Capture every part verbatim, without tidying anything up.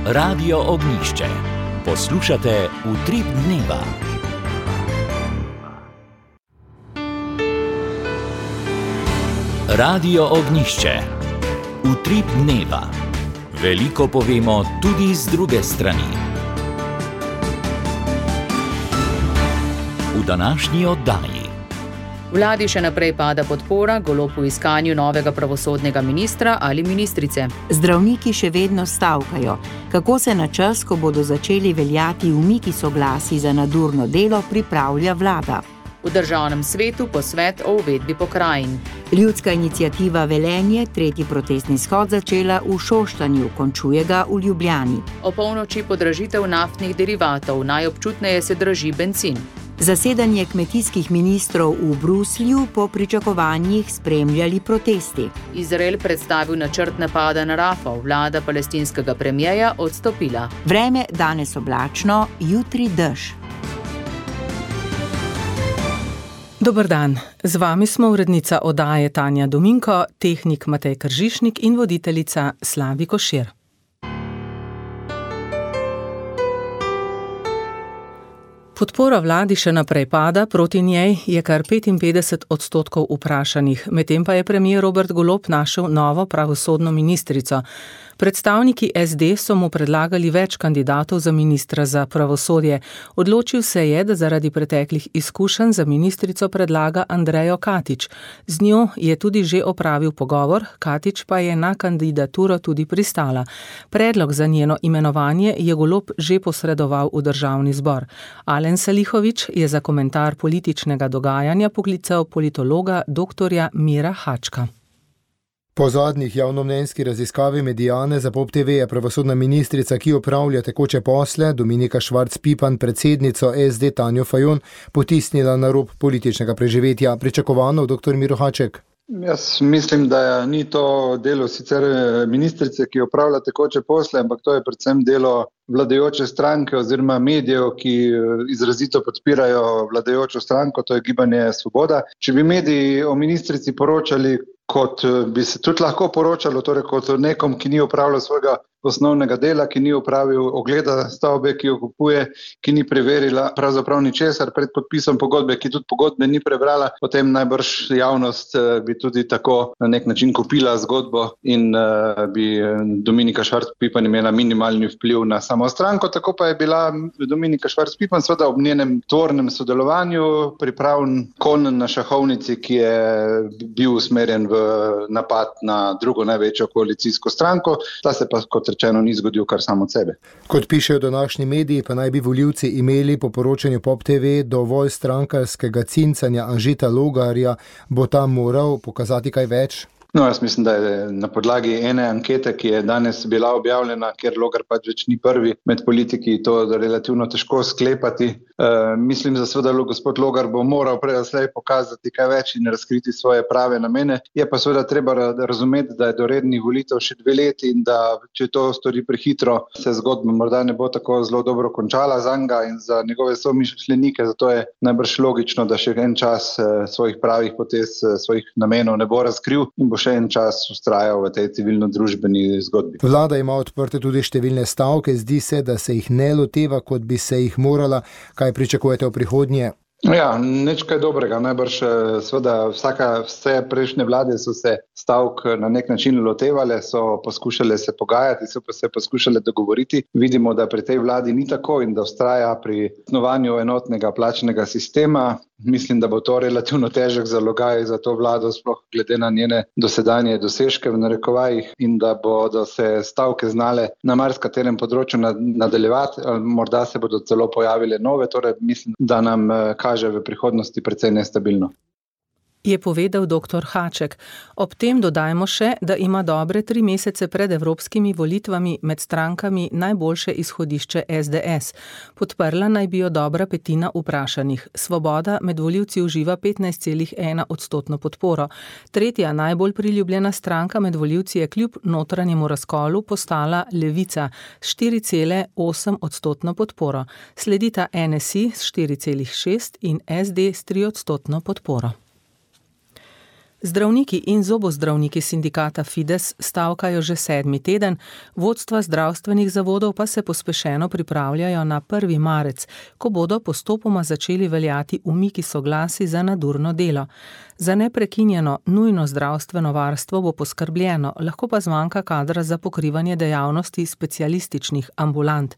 Radio Ognjišče. Poslušate Utrip dneva. Radio Ognjišče. Utrip dneva. Veliko povemo tudi z druge strani. V današnji oddaji. Vladi še naprej pada podpora Golob v iskanju novega pravosodnega ministra ali ministrice. Zdravniki še vedno stavkajo. Kako se na čas, ko bodo začeli veljati umiki soglasij za nadurno delo, pripravlja vlada? V državnem svetu posvet o uvedbi pokrajin. Ljudska iniciativa Velenje tretji protestni shod začela v Šoštanju, končuje ga v Ljubljani. O polnoči podražitev naftnih derivatov, najobčutneje se draži bencin. Zasedanje kmetijskih ministrov v Bruslju po pričakovanjih spremljali protesti. Izrael predstavil načrt napada na Rafah, vlada palestinskega premierja odstopila. Vreme danes oblačno, jutri dež. Dober dan, z vami smo urednica oddaje Tanja Dominko, tehnik Matej Kržišnik in voditeljica Slavi Košir. Podpora vladi še naprej pada, proti njej je kar petinpetdeset odstotkov vprašanih, medtem pa je premier Robert Golob našel novo pravosodno ministrico. Predstavniki es de so mu predlagali več kandidatov za ministra za pravosodje. Odločil se je, da zaradi preteklih izkušenj za ministrico predlaga Andrejo Katič. Z njo je tudi že opravil pogovor, Katič pa je na kandidaturo tudi pristala. Predlog za njeno imenovanje je Golob že posredoval v državni zbor. Alen Salihović je za komentar političnega dogajanja poklical politologa doktorja Mira Hačka. Po zadnjih javnomnenjski raziskavi Mediane za Pop te ve je pravosodna ministrica, ki opravlja tekoče posle, Dominika Švarc Pipan, predsednico es de Tanjo Fajon, potisnila na rob političnega preživetja. Pričakovano, doktor Miro Haček? Jaz mislim, da ni to delo sicer ministrice, ki opravlja tekoče posle, ampak to je predvsem delo vladajoče stranke oziroma medijev, ki izrazito podpirajo vladajočo stranko, to je Gibanje Svoboda. Če bi mediji o ministrici poročali, kot bi se tudi lahko poročalo, torej kot nekom, ki ni opravljal svojega osnovnega dela, ki ni opravil ogleda stavbe, ki jo kupuje, ki ni preverila pravzaprav ničesar pred podpisom pogodbe, ki tudi pogodbe ni prebrala, potem najbrž javnost bi tudi tako na nek način kupila zgodbo in uh, bi Dominika Švarc Pipan imela minimalni vpliv na samo stranko. Tako pa je bila Dominika Švarc Pipan seveda ob njenem tvornem sodelovanju pripravljen konj na šahovnici, ki je bil usmerjen v napad na drugo največjo koalicijsko stranko. Ta se pa kot rečeno ni zgodil kar samo od sebe. Kot pišejo današnji mediji, pa naj bi volivci imeli po poročanju Pop te ve dovolj strankarskega cincanja Anžeta Logarja. Bo tam moral pokazati kaj več? No, jaz mislim, da je na podlagi ene ankete, ki je danes bila objavljena, ker Logar pač več ni prvi med politiki, to relativno težko sklepati. E, mislim, da seveda gospod Logar bo moral prej slej pokazati kaj več in razkriti svoje prave namene. Je pa seveda treba razumeti, da je do rednih volitev še dve leti in da če to stori prehitro, se zgodba morda ne bo tako zelo dobro končala za njega in za njegove somišljenike, zato je najbrž logično, da še en čas svojih pravih potez, svojih namenov ne bo razkril in bo še en čas ustrajal v tej civilno-družbeni zgodbi. Vlada ima odprte tudi številne stavke, zdi se, da se jih ne loteva, kot bi se jih morala. Kaj pričakujete v prihodnje? Ja, nič kaj dobrega. Najbrž seveda vsaka, vse prejšnje vlade so se stavk na nek način lotevale, so poskušale se pogajati, so pa se poskušale dogovoriti. Vidimo, da pri tej vladi ni tako in da vztraja pri snovanju enotnega plačnega sistema. Mislim, da bo to relativno težek zalogaj za to vlado, sploh glede na njene dosedanje dosežke v narekovajih in da bodo se stavke znale na marskaterem področju nadaljevati, morda se bodo celo pojavile nove, torej mislim, da nam kaže v prihodnosti precej nestabilno. Je povedal doktor Haček. Ob tem dodajmo še, da ima dobre tri mesece pred evropskimi volitvami med strankami najboljše izhodišče es de es. Podprla naj bi jo dobra petina vprašanih. Svoboda med volivci uživa petnajst celih ena odstotno podporo. Tretja najbolj priljubljena stranka med volivci je kljub notranjemu razkolu postala Levica s štiri cele osem odstotno podporo. Sledita en es i s štiri celih šest in es de s tri odstotno podporo. Zdravniki in zobozdravniki sindikata Fides stavkajo že sedmi teden, vodstva zdravstvenih zavodov pa se pospešeno pripravljajo na prvi marec, ko bodo postopoma začeli veljati umiki soglasij za nadurno delo. Za neprekinjeno nujno zdravstveno varstvo bo poskrbljeno, lahko pa zmanjka kadra za pokrivanje dejavnosti specialističnih ambulant.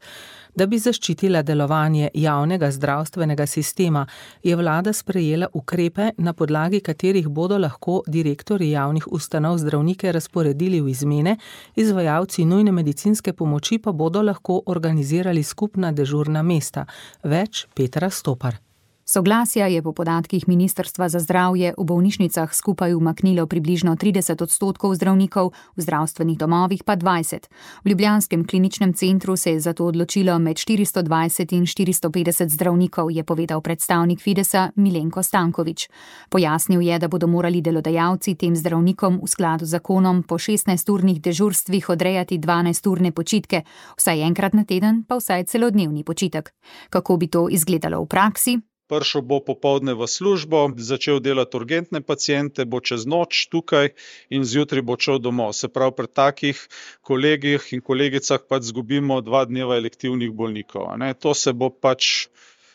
Da bi zaščitila delovanje javnega zdravstvenega sistema, je vlada sprejela ukrepe, na podlagi katerih bodo lahko direktorji javnih ustanov zdravnike razporedili v izmene, izvajalci nujne medicinske pomoči pa bodo lahko organizirali skupna dežurna mesta. Več Petra Stopar. Soglasja je po podatkih Ministrstva za zdravje v bolnišnicah skupaj umaknilo približno trideset odstotkov zdravnikov, v zdravstvenih domovih pa dvajset. V ljubljanskem kliničnem centru se je zato odločilo med štiristo dvajset in štiristo petdeset zdravnikov, je povedal predstavnik Fidesa Milenko Stanković. Pojasnil je, da bodo morali delodajalci tem zdravnikom v skladu z zakonom po šestnajsturnih dežurstvih odrejati dvanajsturne počitke, vsaj enkrat na teden pa vsaj celodnevni počitek. Kako bi to izgledalo v praksi? Prišel bo popoldne v službo, začel delati urgentne paciente, bo čez noč tukaj in zjutraj bo šel domov. Se pravi, pri takih kolegih in kolegicah pač zgubimo dva dneva elektivnih bolnikov. Ne? To se bo pač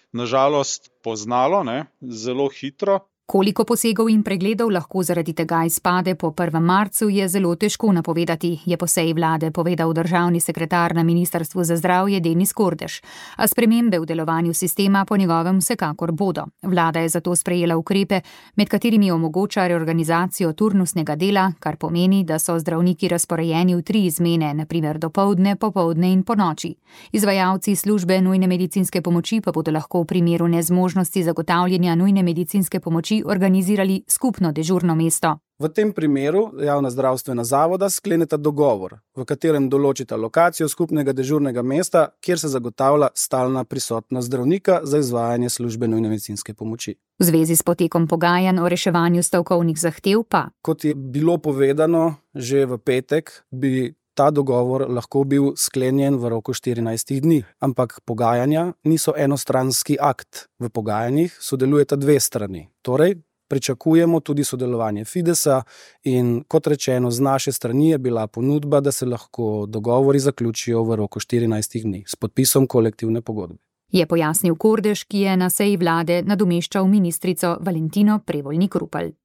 nažalost poznalo, ne? Zelo hitro. Koliko posegov in pregledov lahko zaradi tega izpade po prvem marcu, je zelo težko napovedati, je po seji vlade povedal državni sekretar na Ministrstvu za zdravje Denis Kordež. A spremembe v delovanju sistema po njegovem vsekakor bodo. Vlada je zato sprejela ukrepe, med katerimi omogoča reorganizacijo turnusnega dela, kar pomeni, da so zdravniki razporejeni v tri izmene, na primer dopoldne, popoldne in ponoči. Izvajalci službe nujne medicinske pomoči pa bodo lahko v primeru nezmožnosti zagotavljanja nujne medicinske pomoči organizirali skupno dežurno mesto. V tem primeru javna zdravstvena zavoda skleneta dogovor, v katerem določita lokacijo skupnega dežurnega mesta, kjer se zagotavlja stalna prisotnost zdravnika za izvajanje službe nujne medicinske pomoči. V zvezi s potekom pogajanj o reševanju stavkovnih zahtev pa, kot je bilo povedano že v petek, bi ta dogovor lahko bil sklenjen v roku štirinajstih dni, ampak pogajanja niso enostranski akt. V pogajanjih sodelujeta dve strani. Torej, pričakujemo tudi sodelovanje Fidesa in kot rečeno, z naše strani je bila ponudba, da se lahko dogovori zaključijo v roku štirinajstih dni s podpisom kolektivne pogodbe. Je pojasnil Kordež, ki je na seji vlade nadomeščal ministrico Valentino Prevolnik Rupel.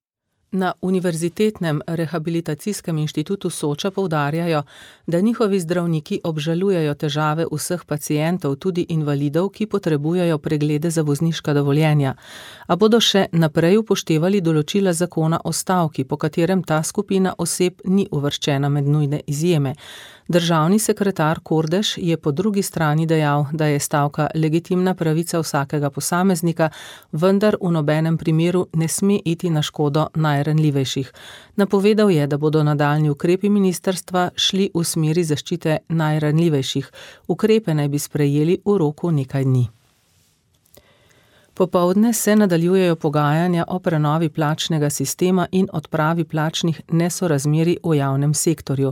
Na Univerzitetnem rehabilitacijskem inštitutu Soča poudarjajo, da njihovi zdravniki obžalujejo težave vseh pacientov, tudi invalidov, ki potrebujejo preglede za vozniška dovoljenja, a bodo še naprej upoštevali določila zakona o stavki, po katerem ta skupina oseb ni uvrščena med nujne izjeme. Državni sekretar Kordež je po drugi strani dejal, da je stavka legitimna pravica vsakega posameznika, vendar v nobenem primeru ne sme iti na škodo najranljivejših. Napovedal je, da bodo nadaljnji ukrepi ministrstva šli v smeri zaščite najranljivejših. Ukrepe naj bi sprejeli v roku nekaj dni. Popoldne se nadaljujejo pogajanja o prenovi plačnega sistema in odpravi plačnih nesorazmerij v javnem sektorju.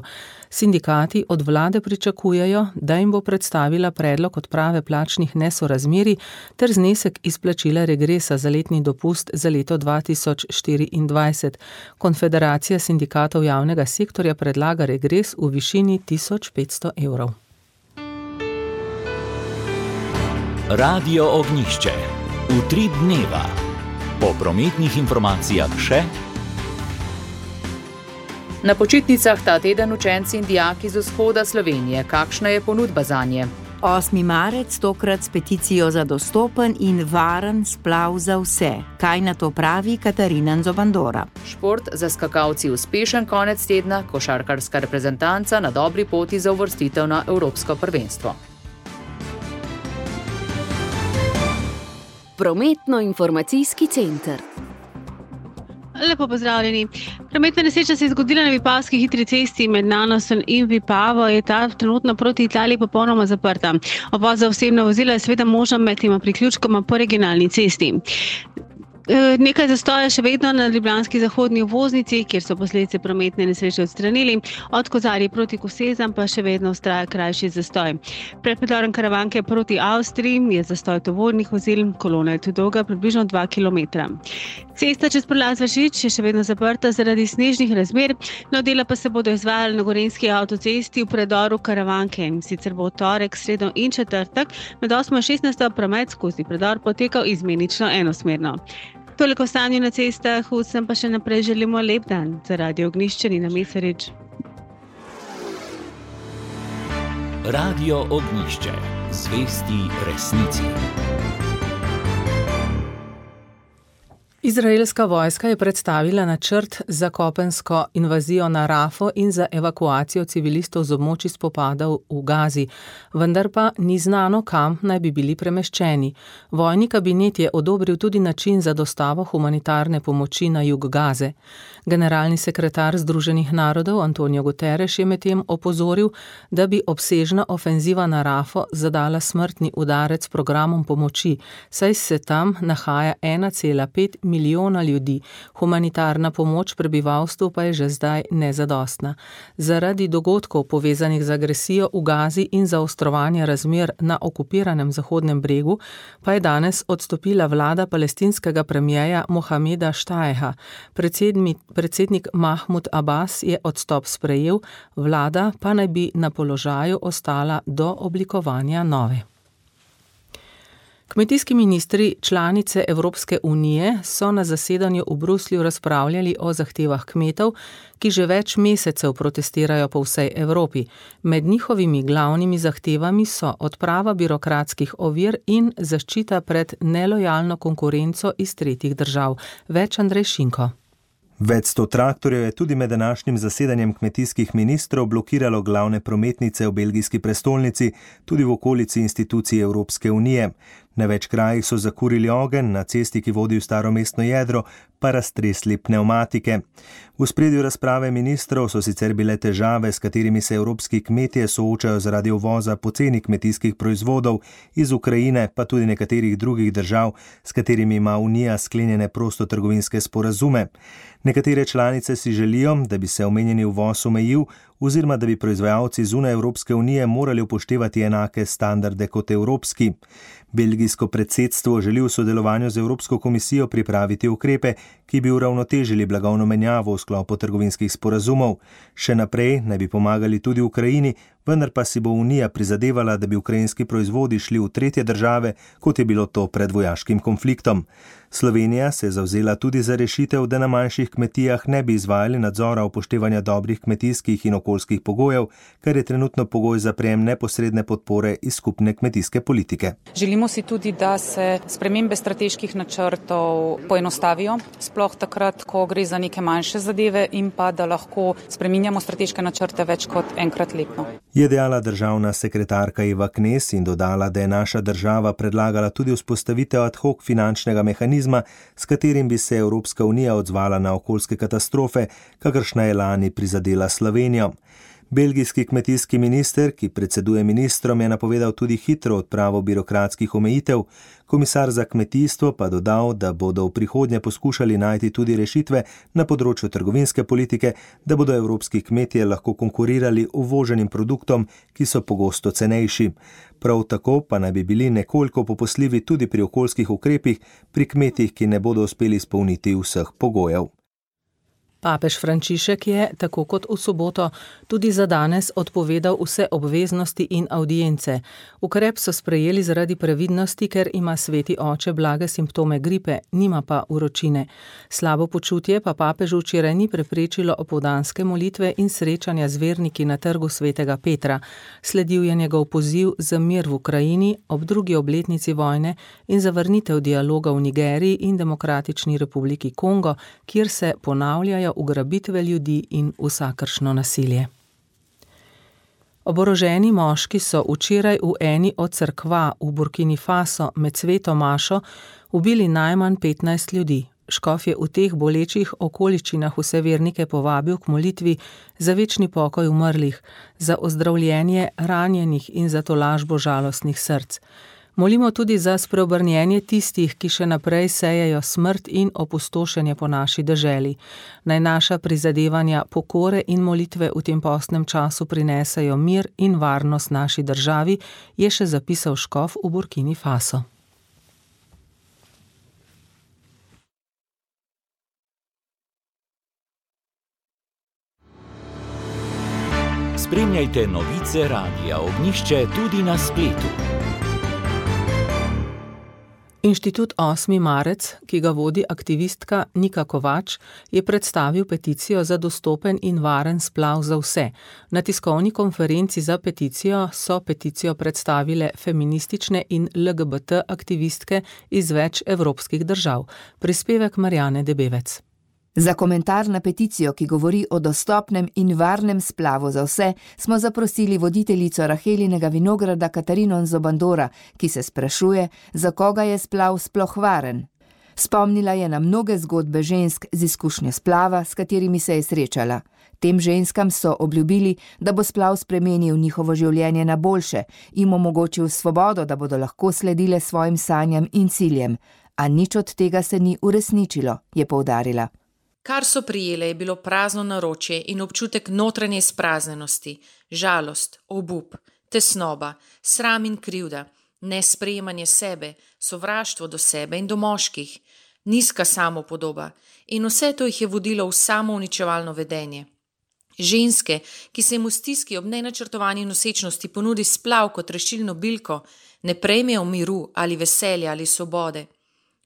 Sindikati od vlade pričakujejo, da jim bo predstavila predlog odprave plačnih nesorazmerij ter znesek izplačila regresa za letni dopust za leto dva tisoč štiriindvajset. Konfederacija sindikatov javnega sektorja predlaga regres v višini tisoč petsto evrov. Radio Ognjišče. Utrip dneva. Po prometnih informacijah še. Na počitnicah ta teden učenci in dijaki z vzhoda Slovenije. Kakšna je ponudba zanje? osmi marec tokrat s peticijo za dostopen in varen splav za vse. Kaj na to pravi Katarina Nzobandora? Šport za skakalci uspešen konec tedna, košarkarska reprezentanca na dobri poti za uvrstitev na Evropsko prvenstvo. Prometno-informacijski center. Lepo pozdravljeni. Prometna nesreča se je zgodila na Vipavski hitri cesti med Nanosom in Vipavo. Je ta trenutno proti Italiji popolnoma zaprta. Obvoz za osebna vozila je seveda možen med tema priključkoma po regionalni cesti. Nekaj zastoja še vedno na ljubljanski zahodni obvoznici, kjer so posledice prometne nesreče odstranili. Od Kozarje proti Kosezam pa še vedno vztraja krajši zastoj. Pred predorom Karavanke proti Avstriji je zastoj tovornih vozil, kolona je tu dolga približno dva kilometra. Cesta čez prelaz Vršič je še vedno zaprta zaradi snežnih razmer, no dela pa se bodo izvajali na Gorenjski avtocesti v predoru Karavanke. Sicer bo v torek, sredo in četrtek med osmo in šestnajsto promet skozi predor potekal izmenično enosmerno. Toliko o stanju na cestah, vsem pa še naprej želimo lep dan. Za Radio Ognjišče Nina Mesarič. Radio Ognjišče. Zvesti resnici. Izraelska vojska je predstavila načrt za kopensko invazijo na Rafo in za evakuacijo civilistov z območij spopadov v Gazi, vendar pa ni znano, kam naj bi bili premeščeni. Vojni kabinet je odobril tudi način za dostavo humanitarne pomoči na jug Gaze. Generalni sekretar Združenih narodov Antonio Guterres je medtem opozoril, da bi obsežna ofenziva na Rafo zadala smrtni udarec programom pomoči, saj se tam nahaja ena cela pet milijona ljudi. Humanitarna pomoč prebivalstvu pa je že zdaj nezadostna. Zaradi dogodkov povezanih z agresijo v Gazi in zaostrovanja razmer na okupiranem Zahodnem bregu pa je danes odstopila vlada palestinskega premierja Mohameda Štajeha. Predsednik, predsednik Mahmud Abbas je odstop sprejel, vlada pa naj bi na položaju ostala do oblikovanja nove. Kmetijski ministri članice Evropske unije so na zasedanju v Bruslju razpravljali o zahtevah kmetov, ki že več mesecev protestirajo po vsej Evropi. Med njihovimi glavnimi zahtevami so odprava birokratskih ovir in zaščita pred nelojalno konkurenco iz tretjih držav. Več Andrej Šinko. Več sto traktorjev je tudi med današnjim zasedanjem kmetijskih ministrov blokiralo glavne prometnice v belgijski prestolnici, tudi v okolici institucij Evropske unije. Na več krajih so zakurili ogenj, na cesti, ki vodi v staro mestno jedro, pa raztresli pnevmatike. V ospredju razprave ministrov so sicer bile težave, s katerimi se evropski kmetje soočajo zaradi uvoza poceni kmetijskih proizvodov iz Ukrajine, pa tudi nekaterih drugih držav, s katerimi ima Unija sklenjene prostotrgovinske sporazume. Nekatere članice si želijo, da bi se omenjeni uvoz omejil, oziroma da bi proizvajalci zunaj Evropske unije morali upoštevati enake standarde kot evropski. Belgijsko predsedstvo želi v sodelovanju z Evropsko komisijo pripraviti ukrepe, ki bi uravnotežili blagovno menjavo v sklopu trgovinskih sporazumov. Še naprej naj bi pomagali tudi Ukrajini, vendar pa si bo Unija prizadevala, da bi ukrajinski proizvodi šli v tretje države, kot je bilo to pred vojaškim konfliktom. Slovenija se je zavzela tudi za rešitev, da na manjših kmetijah ne bi izvajali nadzora upoštevanja dobrih kmetijskih in okoljskih pogojev, kar je trenutno pogoj za prejem neposredne podpore iz skupne kmetijske politike. Želimo si tudi, da se spremembe strateških načrtov poenostavijo, sploh takrat, ko gre za neke manjše zadeve, in pa da lahko spreminjamo strateške načrte več kot enkrat letno. Je dejala državna sekretarka Eva Knez in dodala, da je naša država predlagala tudi vzpostavitev ad hoc finančnega mehanizma, s katerim bi se Evropska unija odzvala na okoljske katastrofe, kakršna je lani prizadela Slovenijo. Belgijski kmetijski minister, ki predseduje ministrom, je napovedal tudi hitro odpravo birokratskih omejitev. Komisar za kmetijstvo pa dodal, da bodo v prihodnje poskušali najti tudi rešitve na področju trgovinske politike, da bodo evropski kmetje lahko konkurirali uvoženim produktom, ki so pogosto cenejši. Prav tako pa naj bi bili nekoliko popustljivi tudi pri okoljskih ukrepih pri kmetih, ki ne bodo uspeli izpolniti vseh pogojev. Papež Frančišek je, tako kot v soboto, tudi za danes odpovedal vse obveznosti in avdience. Ukrep so sprejeli zaradi previdnosti, ker ima sveti oče blage simptome gripe, nima pa vročine. Slabo počutje pa papežu včeraj ni preprečilo opoldanske molitve in srečanja z verniki na trgu svetega Petra. Sledil je njegov poziv za mir v Ukrajini ob drugi obletnici vojne in za vrnitev dialoga v Nigeriji in Demokratični republiki Kongo, kjer se ponavljajo ugrabitve ljudi in vsakršno nasilje. Oboroženi moški so včeraj v eni od cerkva v Burkini Faso med sveto mašo ubili najmanj petnajst ljudi. Škof je v teh bolečih okoliščinah vse vernike povabil k molitvi za večni pokoj umrlih, za ozdravljenje ranjenih in za tolažbo žalostnih src. Molimo tudi za spreobrnjenje tistih, ki še naprej sejejo smrt in opustošenje po naši deželi. Naj naša prizadevanja pokore in molitve v tem postnem času prinesejo mir in varnost naši državi, je še zapisal škof v Burkini Faso. Spremljajte novice Radia Ognjišče tudi na spletu. Inštitut osmi marec, ki ga vodi aktivistka Nika Kovač, je predstavil peticijo za dostopen in varen splav za vse. Na tiskovni konferenci za peticijo so peticijo predstavile feministične in L G B T aktivistke iz več evropskih držav. Prispevek Marjane Debevec. Za komentar na peticijo, ki govori o dostopnem in varnem splavu za vse, smo zaprosili voditeljico Rahelinega vinograda Katarino Nzobandora, ki se sprašuje, za koga je splav sploh varen. Spomnila je na mnoge zgodbe žensk z izkušnjo splava, s katerimi se je srečala. Tem ženskam so obljubili, da bo splav spremenil njihovo življenje na boljše, jim omogočil svobodo, da bodo lahko sledile svojim sanjam in ciljem. A nič od tega se ni uresničilo, je poudarila. Kar so prijele, je bilo prazno naročje in občutek notranje izpraznjenosti, žalost, obup, tesnoba, sram in krivda, nesprejemanje sebe, sovraštvo do sebe in do moških, nizka samopodoba in vse to jih je vodilo v samouničevalno vedenje. Ženske, ki se jim v stiski ob nenačrtovani nosečnosti ponudi splav kot rešilno bilko, ne prejmejo miru ali veselja ali svobode.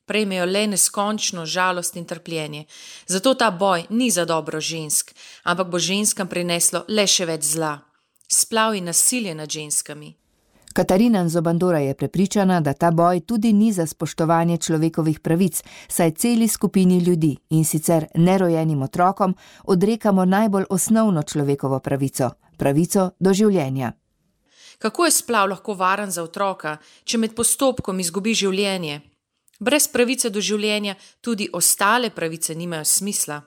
Prejmejo le neskončno žalost in trpljenje. Zato ta boj ni za dobro žensk, ampak bo ženskam prineslo le še več zla. Splav in nasilje nad ženskami. Katarina Nzobandora je prepričana, da ta boj tudi ni za spoštovanje človekovih pravic, saj celi skupini ljudi in sicer nerojenim otrokom odrekamo najbolj osnovno človekovo pravico, pravico do življenja. Kako je splav lahko varen za otroka, če med postopkom izgubi življenje? Brez pravice do življenja tudi ostale pravice nimajo smisla.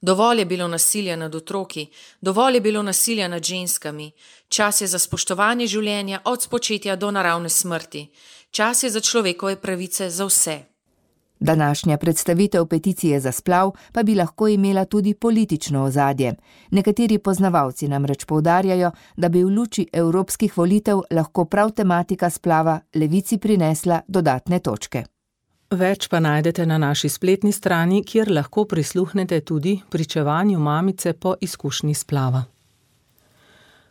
Dovolj je bilo nasilja nad otroki, dovolj je bilo nasilja nad ženskami. Čas je za spoštovanje življenja od spočetja do naravne smrti. Čas je za človekove pravice za vse. Današnja predstavitev peticije za splav pa bi lahko imela tudi politično ozadje. Nekateri poznavalci namreč poudarjajo, da bi v luči evropskih volitev lahko prav tematika splava levici prinesla dodatne točke. Več pa najdete na naši spletni strani, kjer lahko prisluhnete tudi pričevanju mamice po izkušnji splava.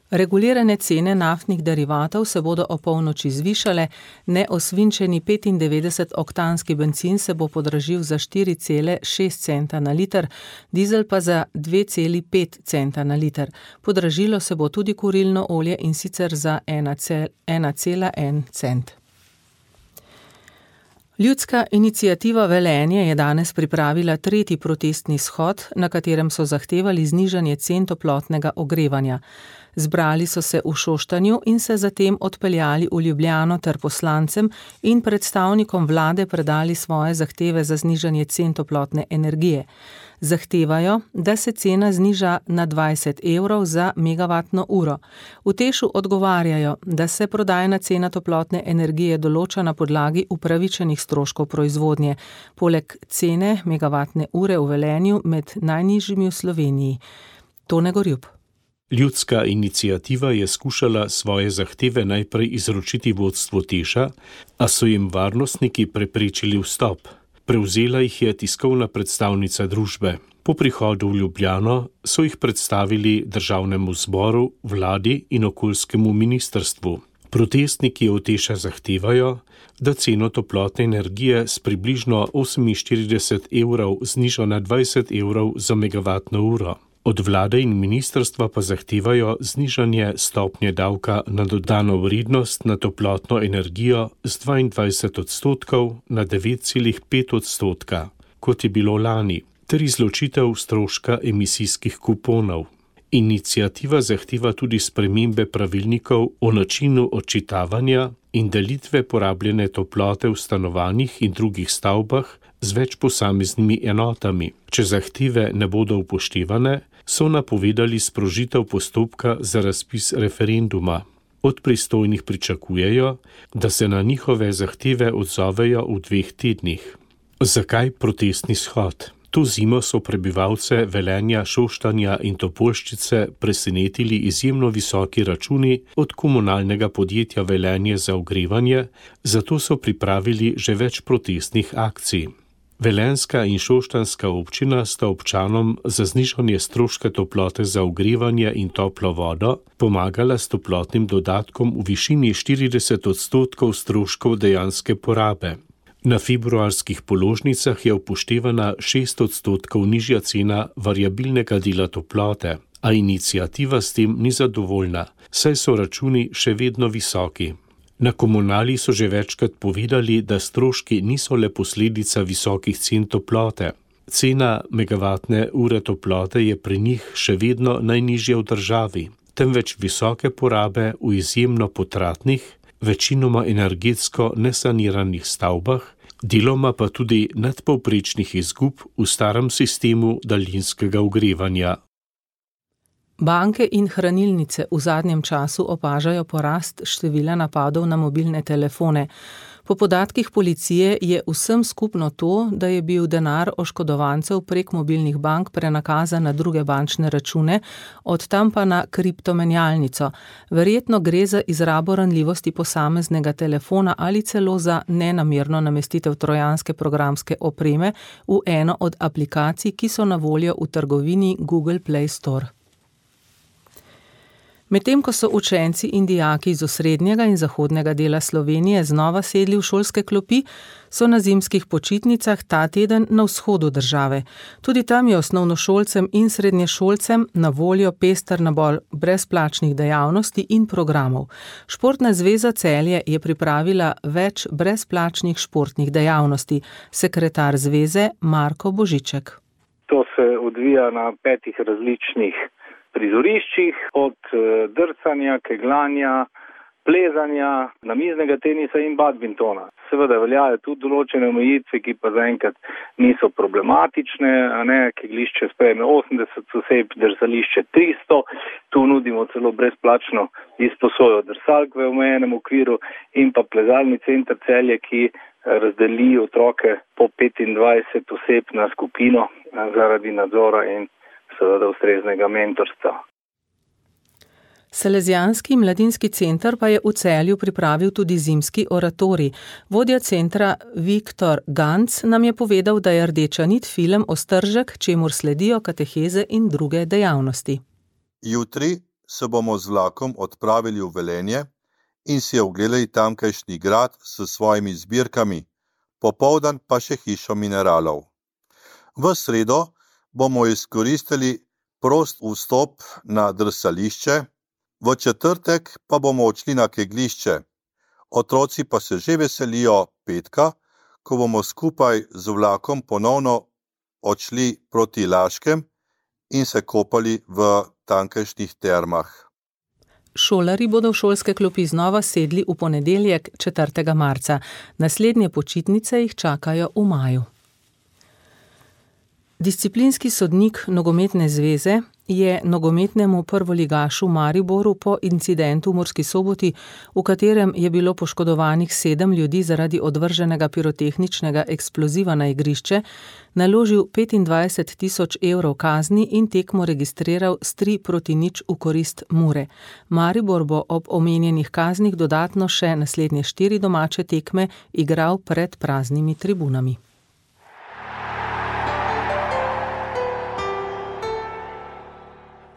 Regulirane cene naftnih derivatov se bodo o polnoči zvišale, neosvinčeni petindevetdesetoktanski bencin se bo podražil za štiri cele šest centa na liter, dizel pa za dve cele pet centa na liter. Podražilo se bo tudi kurilno olje in sicer za ena cela en cent. Ljudska iniciativa Velenje je danes pripravila tretji protestni shod, na katerem so zahtevali znižanje cen toplotnega ogrevanja. Zbrali so se v Šoštanju in se zatem odpeljali v Ljubljano ter poslancem in predstavnikom vlade predali svoje zahteve za znižanje cen toplotne energije. Zahtevajo, da se cena zniža na dvajset evrov za megavatno uro. V Tešu odgovarjajo, da se prodajna cena toplotne energije določa na podlagi upravičenih stroškov proizvodnje, poleg cene megavatne ure v Velenju med najnižjimi v Sloveniji. Tone Gorjub. Ljudska iniciativa je skušala svoje zahteve najprej izročiti vodstvu Teša, a so jim varnostniki preprečili vstop. Prevzela jih je tiskovna predstavnica družbe. Po prihodu v Ljubljano so jih predstavili državnemu zboru, vladi in okoljskemu ministrstvu. Protestniki od Teša zahtevajo, da ceno toplotne energije s približno oseminštirideset evrov zniža na dvajset evrov za megavatno uro. Od vlade in ministrstva pa zahtevajo znižanje stopnje davka na dodano vrednost na toplotno energijo z dvaindvajset odstotkov na devet cela pet odstotka, kot je bilo lani, ter izločitev stroška emisijskih kuponov. Iniciativa zahteva tudi spremembe pravilnikov o načinu odčitavanja in delitve porabljene toplote v stanovanjih in drugih stavbah z več posameznimi enotami. Če zahteve ne bodo upoštevane, so napovedali sprožitev postopka za razpis referenduma. Od pristojnih pričakujejo, da se na njihove zahteve odzovejo v dveh tednih. Zakaj protestni shod? To zimo so prebivalce Velenja, Šoštanja in Topolščice presenetili izjemno visoki računi od komunalnega podjetja Velenje za ogrevanje, zato so pripravili že več protestnih akcij. Velenjska in Šoštanjska občina sta občanom za znižanje stroška toplote za ogrevanje in toplo vodo pomagala s toplotnim dodatkom v višini štirideset odstotkov stroškov dejanske porabe. Na februarskih položnicah je upoštevana šest odstotkov nižja cena variabilnega dela toplote, a iniciativa s tem ni zadovoljna, saj so računi še vedno visoki. Na Komunali so že večkrat povedali, da stroški niso le posledica visokih cen toplote. Cena megavatne ure toplote je pri njih še vedno najnižja v državi, temveč visoke porabe v izjemno potratnih, večinoma energetsko nesaniranih stavbah, deloma pa tudi nadpovprečnih izgub v starem sistemu daljinskega ogrevanja. Banke in hranilnice v zadnjem času opažajo porast števila napadov na mobilne telefone. Po podatkih policije je vsem skupno to, da je bil denar oškodovancev prek mobilnih bank prenakazan na druge bančne račune, od tam pa na kriptomenjalnico. Verjetno gre za izrabo ranljivosti posameznega telefona ali celo za nenamerno namestitev trojanske programske opreme v eno od aplikacij, ki so na voljo v trgovini Google Play Store. Medtem ko so učenci in dijaki iz osrednjega in zahodnega dela Slovenije znova sedli v šolske klopi, so na zimskih počitnicah ta teden na vzhodu države. Tudi tam je osnovnošolcem in srednješolcem na voljo pester nabor brezplačnih dejavnosti in programov. Športna zveza Celje je pripravila več brezplačnih športnih dejavnosti. Sekretar zveze Marko Božiček. To se odvija na petih različnih prizoriščih, od drcanja, keglanja, plezanja, namiznega tenisa in badmintona. Seveda veljajo tudi določene omejitve, ki pa zaenkrat niso problematične, a ne, keglišče sprejme osemdeset oseb, drsališče tristo, tu nudimo celo brezplačno izposojo drsalk v omejenem okviru in pa plezalni center Celje, ki razdeli otroke po petindvajset oseb na skupino zaradi nadzora in seveda ustreznega mentorstva. Salezijanski mladinski center pa je v Celju pripravil tudi zimski oratorij. Vodja centra Viktor Ganc nam je povedal, da je rdeča nit film Ostržek, čemur sledijo kateheze in druge dejavnosti. Jutri se bomo z vlakom odpravili v Velenje in si ogledali tamkajšnji grad s svojimi zbirkami, popoldan pa še hišo mineralov. V sredo bomo izkoristili prost vstop na drsališče, v četrtek pa bomo odšli na keglišče. Otroci pa se že veselijo petka, ko bomo skupaj z vlakom ponovno odšli proti Laškem in se kopali v tamkajšnjih termah. Šolari bodo v šolske klopi znova sedli v ponedeljek četrtega marca. Naslednje počitnice jih čakajo v maju. Disciplinski sodnik Nogometne zveze je nogometnemu prvoligašu Mariboru po incidentu v Murski Soboti, v katerem je bilo poškodovanih sedem ljudi zaradi odvrženega pirotehničnega eksploziva na igrišče, naložil petindvajset tisoč evrov kazni in tekmo registriral s tri proti nič v korist Mure. Maribor bo ob omenjenih kaznih dodatno še naslednje štiri domače tekme igral pred praznimi tribunami.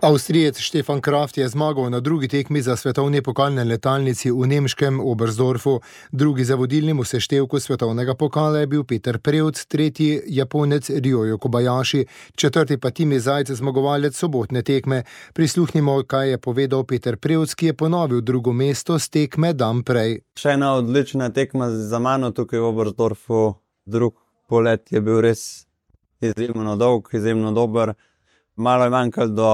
Avstrijec Stefan Kraft je zmagal na drugi tekmi za svetovni pokalne letalnici v nemškem Oberstdorfu. Drugi za vodilnim v seštevku svetovnega pokala je bil Peter Prevc, tretji Japonec Ryoyo Kobayashi, četrti pa Timi Zajc, zmagovalec sobotne tekme. Prisluhnimo, kaj je povedal Peter Prevc, ki je ponovil drugo mesto z tekme dan prej. Še ena odlična tekma za mano tukaj v Oberstdorfu. Drug polet je bil res izjemno dolg, izjemno dober. Malo je manjkalo do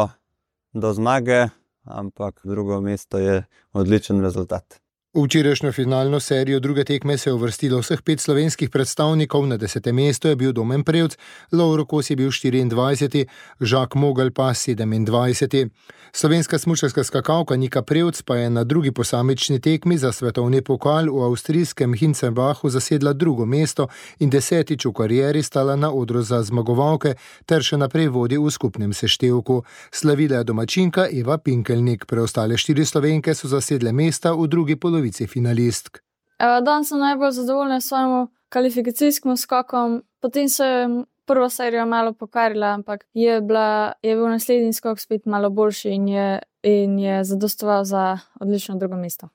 do zmage, ampak drugo mesto je odličen rezultat. V včerajšnjo finalno serijo druge tekme se je uvrstilo vseh pet slovenskih predstavnikov, na desetem mestu je bil Domen Prevc, Lovro Kos je bil štiriindvajseti, Žak Mogel pa sedemindvajseti. Slovenska smučarska skakalka Nika Prevc pa je na drugi posamični tekmi za svetovni pokal v avstrijskem Hinzenbachu zasedla drugo mesto in desetič v karieri stala na odru za zmagovalke ter še naprej vodi v skupnem seštevku. Slavila je domačinka Eva Pinkelnik, preostale štiri Slovenke so zasedle mesta v drugi polovici finalistk. Danes sem najbolj zadovoljna s svojim kvalifikacijskim skokom, potem sem prvo serijo malo pokvarila, ampak je, bila, je bil naslednji skok spet malo boljši in je, in je zadostoval za odlično drugo mesto.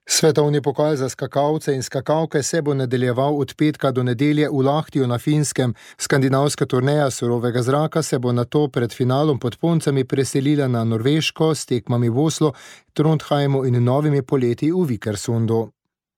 Svetovni pokal za skakalce in skakalke se bo nadaljeval od petka do nedelje v Lahtiju na Finskem. Skandinavska turneja surovega zraka se bo nato pred finalom pod Poncami preselila na Norveško s tekmami v Oslu, Trondheimu in novimi poleti v Vikersundu.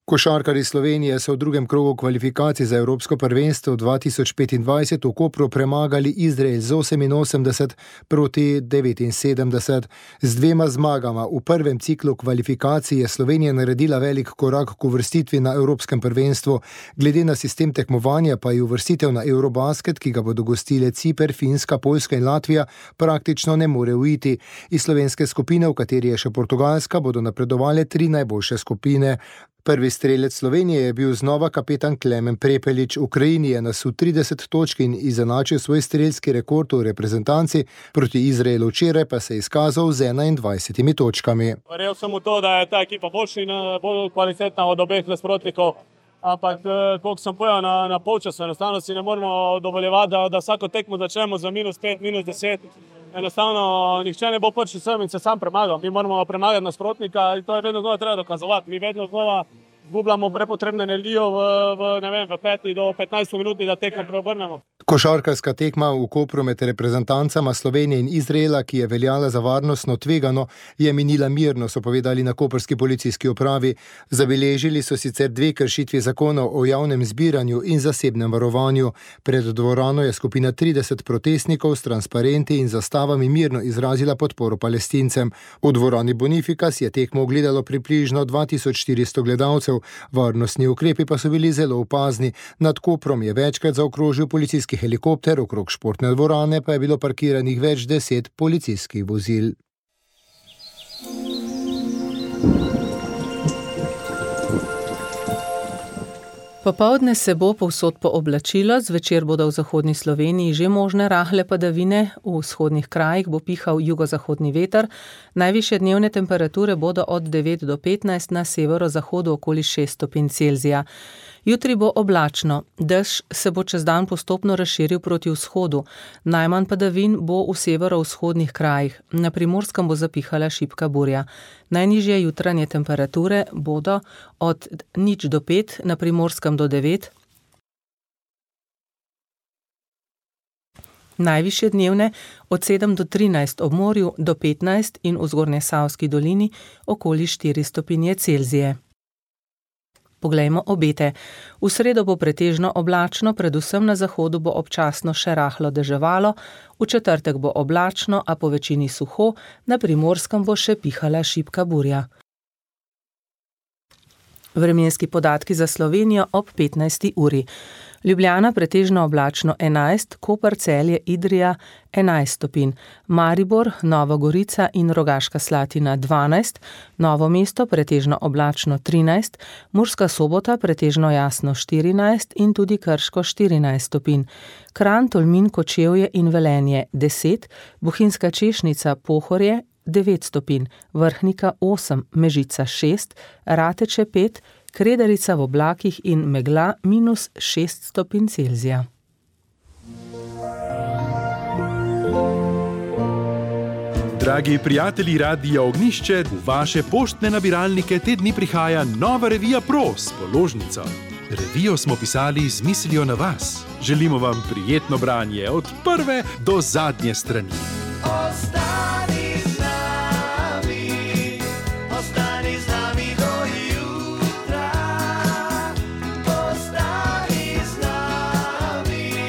Košarkarji Slovenije so v drugem krogu kvalifikacij za Evropsko prvenstvo dva tisoč petindvajset v Kopru premagali Izrael z oseminosemdeset proti devetinsedemdeset. Z dvema zmagama v prvem ciklu kvalifikacij je Slovenija naredila velik korak k uvrstitvi na Evropskem prvenstvu. Glede na sistem tekmovanja pa je uvrstitev na Eurobasket, ki ga bodo gostile Ciper, Finska, Poljska in Latvija, praktično ne more uiti. Iz slovenske skupine, v kateri je še Portugalska, bodo napredovale tri najboljše skupine. Prvi strelec Slovenije je bil znova kapetan Klemen Prepelič. Ukrajini je nasul trideset točk in izenačil svoj strelski rekord v reprezentanci, proti Izraelu včeraj pa se je izkazal z enaindvajsetimi točkami. Verjel sem v to, da je ta ekipa boljša in bolj kvalitetna od obeh nasprotnikov, ampak koliko sem povedal na, na polčasu, enostavno si ne moremo dovoljevati, da, da vsako tekmo začnemo za minus pet, minus deset. Enostavno, nihče ne bo prišel sem in se sam premagal. Mi moramo premagati nasprotnika in to je vedno znova treba dokazovati. Mi vedno znova gubljamo prepotrebno energijo v, v, ne vem, v peti do petnajsti minuti, da tekmo preobrnemo. Košarkarska tekma v Kopru med reprezentancama Slovenije in Izraela, ki je veljala za varnostno tvegano, je minila mirno, so povedali na koprski policijski upravi. Zabeležili so sicer dve kršitvi zakonov o javnem zbiranju in zasebnem varovanju. Pred dvorano je skupina trideset protestnikov s transparenti in zastavami mirno izrazila podporo Palestincem. V dvorani Bonifikas je tekmo ogledalo približno dva tisoč štiristo gledalcev. Varnostni ukrepi pa so bili zelo opazni. Nad Koprom je večkrat zaokrožil policijski helikopter, okrog športne dvorane pa je bilo parkiranih več deset policijskih vozil. Popoldne se bo povsod pooblačilo, zvečer bodo v zahodni Sloveniji že možne rahle padavine, v vzhodnih krajih bo pihal jugozahodni veter, najvišje dnevne temperature bodo od devet do petnajst, na severozahodu okoli šest stopinj Celzija. Jutri bo oblačno, dež se bo čez dan postopno razširil proti vzhodu, najmanj padavin bo v severovzhodnih krajih, na Primorskem bo zapihala šibka burja. Najnižje jutranje temperature bodo od nič do pet, na Primorskem do devet, najvišje dnevne od sedem do trinajst, ob morju do petnajst in v Zgornjesavski dolini okoli štiri stopinje Celzije. Poglejmo obete. V sredo bo pretežno oblačno, predvsem na zahodu bo občasno še rahlo deževalo, v četrtek bo oblačno, a po večini suho, na Primorskem bo še pihala šibka burja. Vremenski podatki za Slovenijo ob petnajsti uri. Ljubljana pretežno oblačno enajst, Koper, Celje, Idrija enajst stopinj, Maribor, Nova Gorica in Rogaška Slatina dvanajst, Novo mesto pretežno oblačno trinajst, Murska Sobota pretežno jasno štirinajst in tudi Krško štirinajst stopinj, Kranj, Tolmin, Kočevje in Velenje deset, Bohinjska Češnica, Pohorje devet stopinj, Vrhnika osem, Mežica šest, Rateče pet, Kredarica v oblakih in megla minus šest stopinj Celzija. Dragi prijatelji Radia Ognjišče, v vaše poštne nabiralnike te dni prihaja nova revija Pro s položnico. Revijo smo pisali z mislijo na vas. Želimo vam prijetno branje od prve do zadnje strani. Ostani z nami, ostani z nami do jutra, ostani z nami,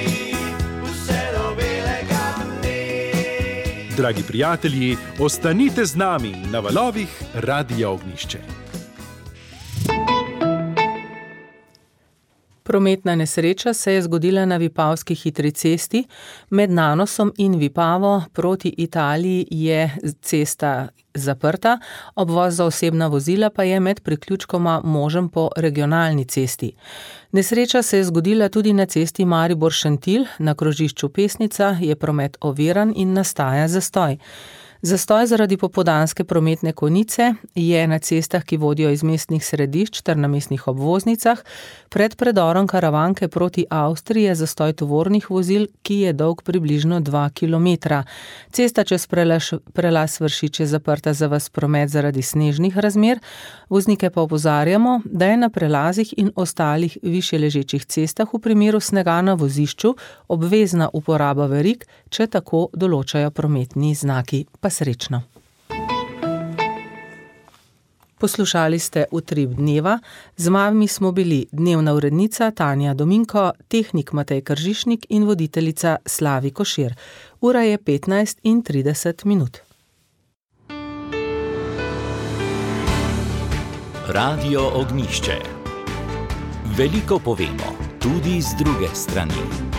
vse do belega dne. Dragi prijatelji, ostanite z nami na valovih Radia Ognjišče. Prometna nesreča se je zgodila na Vipavski hitri cesti. Med Nanosom in Vipavo proti Italiji je cesta zaprta, obvoz za osebna vozila pa je med priključkoma možen po regionalni cesti. Nesreča se je zgodila tudi na cesti Maribor-Šentilj, na krožišču Pesnica je promet oviran in nastaja zastoj. Zastoj zaradi popoldanske prometne konice je na cestah, ki vodijo iz mestnih središč ter na mestnih obvoznicah. Pred predorom Karavanke proti Avstriji je zastoj tovornih vozil, ki je dolg približno dva kilometra. Cesta čez prelaš, prelaz Vršič je zaprta za ves promet zaradi snežnih razmer. Voznike pa opozarjamo, da je na prelazih in ostalih višje ležečih cestah v primeru snega na vozišču obvezna uporaba verig, če tako določajo prometni znaki. Pa srečno. Poslušali ste Utrip dneva, z vami smo bili dnevna urednica Tanja Dominko, tehnik Matej Kržišnik in voditeljica Slavi Košir. Ura je petnajst in trideset minut. Radio Ognjišče. Veliko povemo, tudi z druge strani.